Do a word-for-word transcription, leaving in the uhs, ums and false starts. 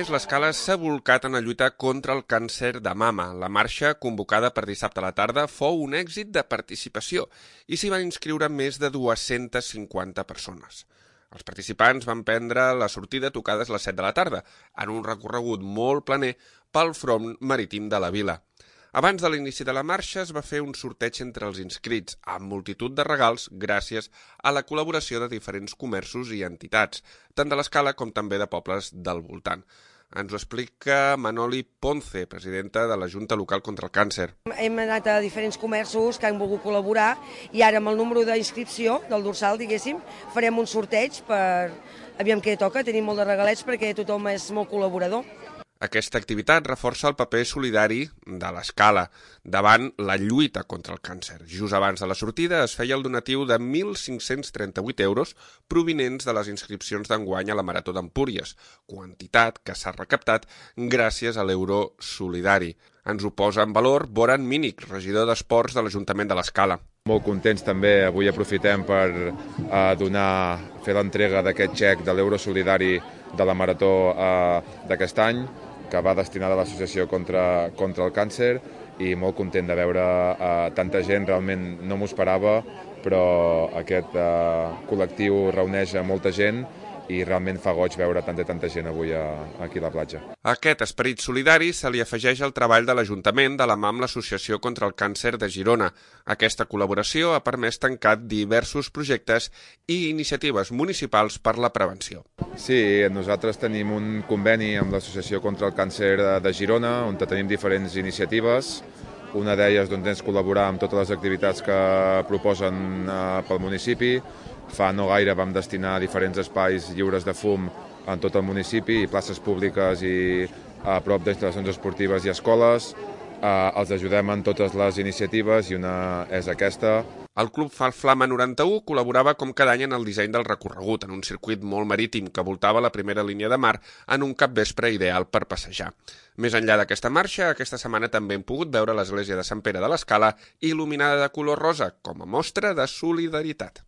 més, l'Escala s'ha volcat en la lluita contra el càncer de mama. La marxa, convocada per dissabte a la tarda, fou un èxit de participació i s'hi van inscriure més de dues-centes cinquanta persones. Els participants van prendre la sortida tocades a les set de la tarda, en un recorregut molt planer pel front marítim de la vila. Abans de l'inici de la marxa es va fer un sorteig entre els inscrits, amb multitud de regals gràcies a la col·laboració de diferents comerços i entitats, tant de l'Escala com també de pobles del voltant. Ens ho explica Manoli Ponce, presidenta de la Junta Local contra el Càncer. Hem anat a diferents comerços que han volgut col·laborar i ara amb el número d'inscripció del dorsal, diguéssim, farem un sorteig per... Aviam què toca, tenim molt de regalets perquè tothom és molt col·laborador. Aquesta activitat reforça el paper solidari de l'Escala davant la lluita contra el càncer. Just abans de la sortida es feia el donatiu de mil cinc-cents trenta-vuit euros provinents de les inscripcions d'enguany a la Marató d'Empúries, quantitat que s'ha recaptat gràcies a l'euro solidari. Ens ho posa en valor Boran Mínic, regidor d'Esports de l'Ajuntament de l'Escala. Molt contents també, avui aprofitem per eh, donar, fer l'entrega d'aquest xec de l'euro solidari de la Marató eh, d'aquest any, que va destinada a l'Associació contra, contra el Càncer, i molt content de veure eh, tanta gent, realment no m'ho esperava, però aquest eh, col·lectiu reuneix a molta gent i realment fa goig veure tanta tanta gent avui a, aquí a la platja. A aquest esperit solidari se li afegeix el treball de l'Ajuntament de la mà amb l'Associació contra el Càncer de Girona. Aquesta col·laboració ha permès tancar diversos projectes i iniciatives municipals per la prevenció. Sí, nosaltres tenim un conveni amb l'Associació contra el Càncer de Girona, on tenim diferents iniciatives. Una d'elles doncs, és col·laborar amb totes les activitats que proposen eh, pel municipi. Fa no gaire vam destinar diferents espais lliures de fum en tot el municipi, i places públiques i a prop d'instal·lacions esportives i escoles. Eh, els ajudem en totes les iniciatives i una és aquesta. El Club Flama noranta-u col·laborava com cada any en el disseny del recorregut, en un circuit molt marítim que voltava la primera línia de mar en un capvespre ideal per passejar. Més enllà d'aquesta marxa, aquesta setmana també hem pogut veure l'església de Sant Pere de l'Escala il·luminada de color rosa, com a mostra de solidaritat.